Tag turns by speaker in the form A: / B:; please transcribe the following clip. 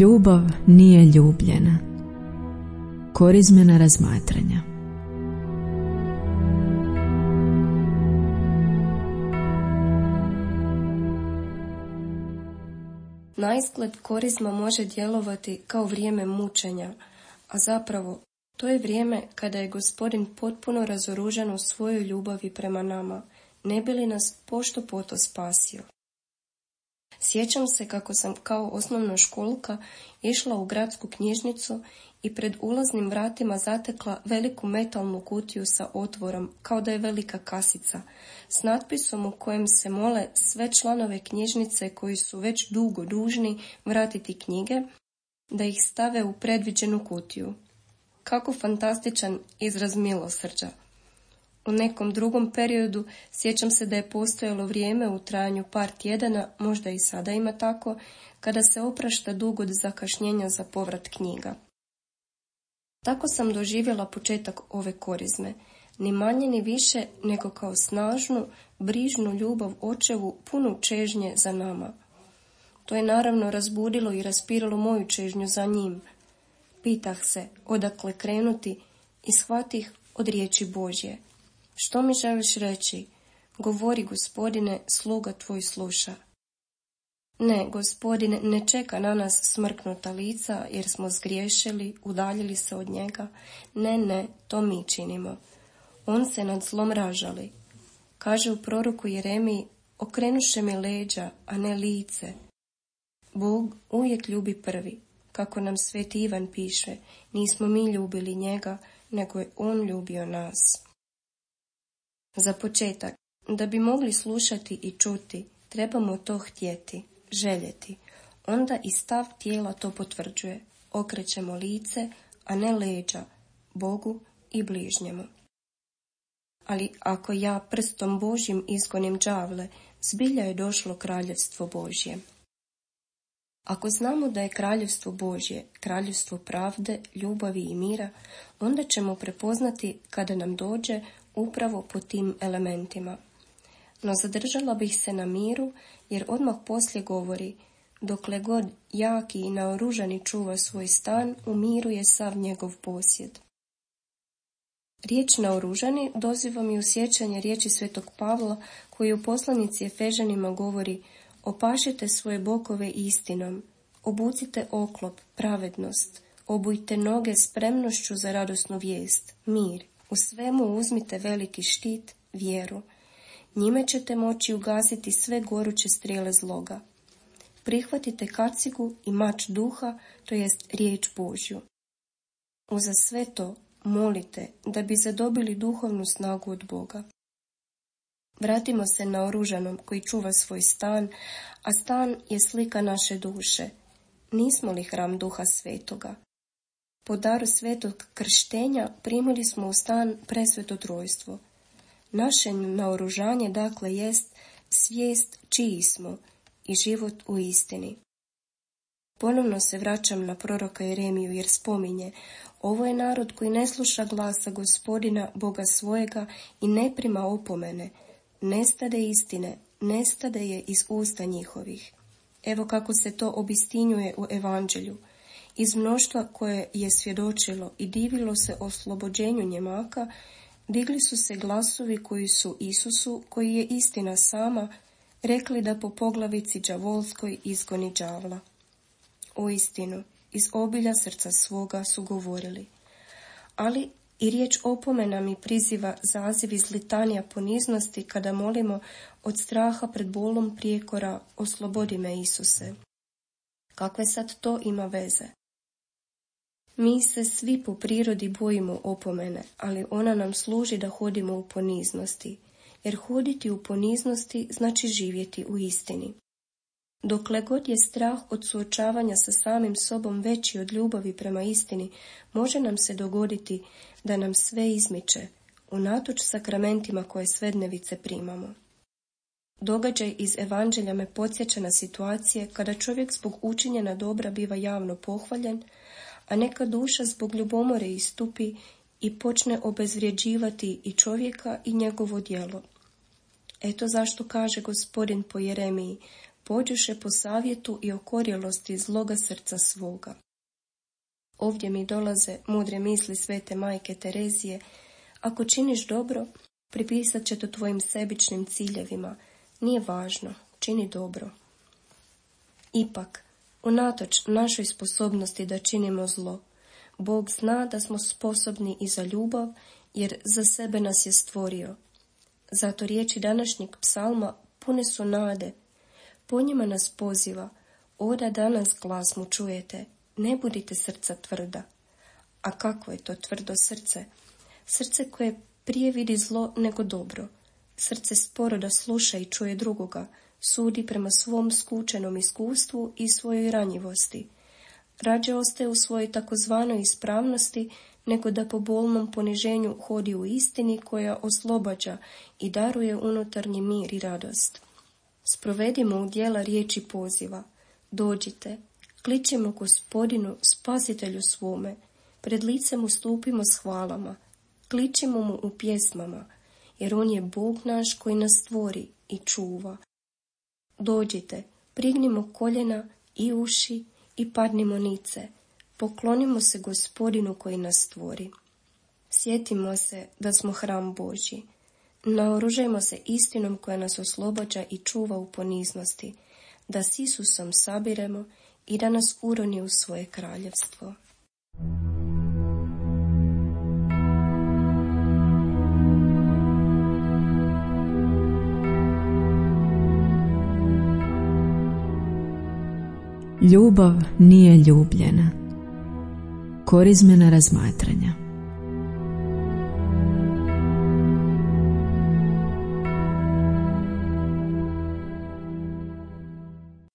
A: Ljubav nije ljubljena. Korizmena razmatranja.
B: Naizgled korizma može djelovati kao vrijeme mučenja, a zapravo to je vrijeme kada je Gospodin potpuno razoružan u svojoj ljubavi prema nama, ne bi li nas pošto poto spasio. Sjećam se kako sam kao osnovnoškolka išla u gradsku knjižnicu i pred ulaznim vratima zatekla veliku metalnu kutiju sa otvorom, kao da je velika kasica, s natpisom u kojem se mole sve članove knjižnice koji su već dugo dužni vratiti knjige, da ih stave u predviđenu kutiju. Kako fantastičan izraz milosrđa! U nekom drugom periodu sjećam se da je postojalo vrijeme u trajanju par tjedana, možda i sada ima tako, kada se oprašta dug od zakašnjenja za povrat knjiga. Tako sam doživjela početak ove korizme, ni manje ni više nego kao snažnu, brižnu ljubav očevu punu čežnje za nama. To je naravno razbudilo i raspiralo moju čežnju za njim. Pitah se odakle krenuti i shvatih od riječi Božje. Što mi želiš reći? Govori, Gospodine, sluga tvoj sluša. Ne, Gospodine, ne čeka na nas smrknuta lica jer smo zgriješili, udaljili se od njega. Ne, to mi činimo. On se nad zlom ražali. Kaže u proroku Jeremiji, okrenuše mi leđa, a ne lice. Bog uvijek ljubi prvi. Kako nam Sveti Ivan piše, nismo mi ljubili njega, nego je on ljubio nas. Za početak, da bi mogli slušati i čuti, trebamo to htjeti, željeti. Onda i stav tijela to potvrđuje. Okrećemo lice, a ne leđa, Bogu i bližnjemu. Ali ako ja prstom Božjim izgonim đavle, zbilja je došlo kraljevstvo Božje. Ako znamo da je kraljevstvo Božje, kraljevstvo pravde, ljubavi i mira, onda ćemo prepoznati kada nam dođe upravo po tim elementima. No zadržala bih se na miru, jer odmah poslije govori, dokle god jaki i naoružani čuva svoj stan, u miru je sav njegov posjed. Riječ naoružani doziva mi u sjećanje riječi Svetog Pavla, koji u poslanici Efežanima govori, opašite svoje bokove istinom, obucite oklop, pravednost, obujte noge spremnošću za radosnu vijest, mir. U svemu uzmite veliki štit, vjeru. Njime ćete moći ugasiti sve goruće strijele zloga. Prihvatite kacigu i mač duha, to jest riječ Božju. Uza sve to molite da bi zadobili duhovnu snagu od Boga. Vratimo se naoružanom koji čuva svoj stan, a stan je slika naše duše. Nismo li hram Duha Svetoga? Po daru svetog krštenja primili smo u stan presveto trojstvo. Naše naoružanje dakle jest svijest čiji smo i život u istini. Ponovno se vraćam na proroka Jeremiju jer spominje, ovo je narod koji ne sluša glasa Gospodina, Boga svojega i ne prima opomene, nestade istine, nestade je iz usta njihovih. Evo kako se to obistinjuje u evanđelju. Iz mnoštva koje je svjedočilo i divilo se oslobođenju njemaka, digli su se glasovi koji su Isusu, koji je istina sama, rekli da po poglavici đavolskoj izgoni đavla. Uistinu, iz obilja srca svoga su govorili. Ali i riječ opomena mi priziva zaziv iz litanija poniznosti kada molimo od straha pred bolom prijekora, oslobodi me Isuse. Kakve sad to ima veze? Mi se svi po prirodi bojimo opomene, ali ona nam služi da hodimo u poniznosti, jer hoditi u poniznosti znači živjeti u istini. Dokle god je strah od suočavanja sa samim sobom veći od ljubavi prema istini, može nam se dogoditi da nam sve izmiče, unatoč sakramentima koje svednevice primamo. Događaj iz evanđelja me podsjeća na situacije kada čovjek zbog učinjena dobra biva javno pohvaljen, a neka duša zbog ljubomore istupi i počne obezvrjeđivati i čovjeka i njegovo djelo. Eto zašto kaže Gospodin po Jeremiji, pođoše po savjetu i okorjelosti zloga srca svoga. Ovdje mi dolaze mudre misli svete majke Terezije: ako činiš dobro, pripisat će to tvojim sebičnim ciljevima. Nije važno, čini dobro. Ipak, unatoč našoj sposobnosti da činimo zlo, Bog zna da smo sposobni i za ljubav, jer za sebe nas je stvorio. Zato riječi današnjeg psalma pune su nade. Po njima nas poziva: oda danas glas mu čujete, ne budite srca tvrda. A kako je to tvrdo srce? Srce koje prije vidi zlo nego dobro. Srce sporo da sluša i čuje drugoga, sudi prema svom skučenom iskustvu i svojoj ranjivosti. Rađe ostaje u svojoj takozvanoj ispravnosti, nego da po bolnom poniženju hodi u istini koja oslobađa i daruje unutarnji mir i radost. Sprovedimo u djela riječi poziva: dođite, kličimo Gospodinu, spasitelju svome, pred lice mu stupimo s hvalama, kličimo mu u pjesmama, jer on je Bog naš koji nas stvori i čuva. Dođite, prignimo koljena i uši i padnimo nice, poklonimo se Gospodinu koji nas stvori. Sjetimo se da smo hram Božji. Naoružajmo se istinom koja nas oslobađa i čuva u poniznosti, da s Isusom sabiremo i da nas uroni u svoje kraljevstvo.
A: Ljubav nije ljubljena. Korizmena razmatranja.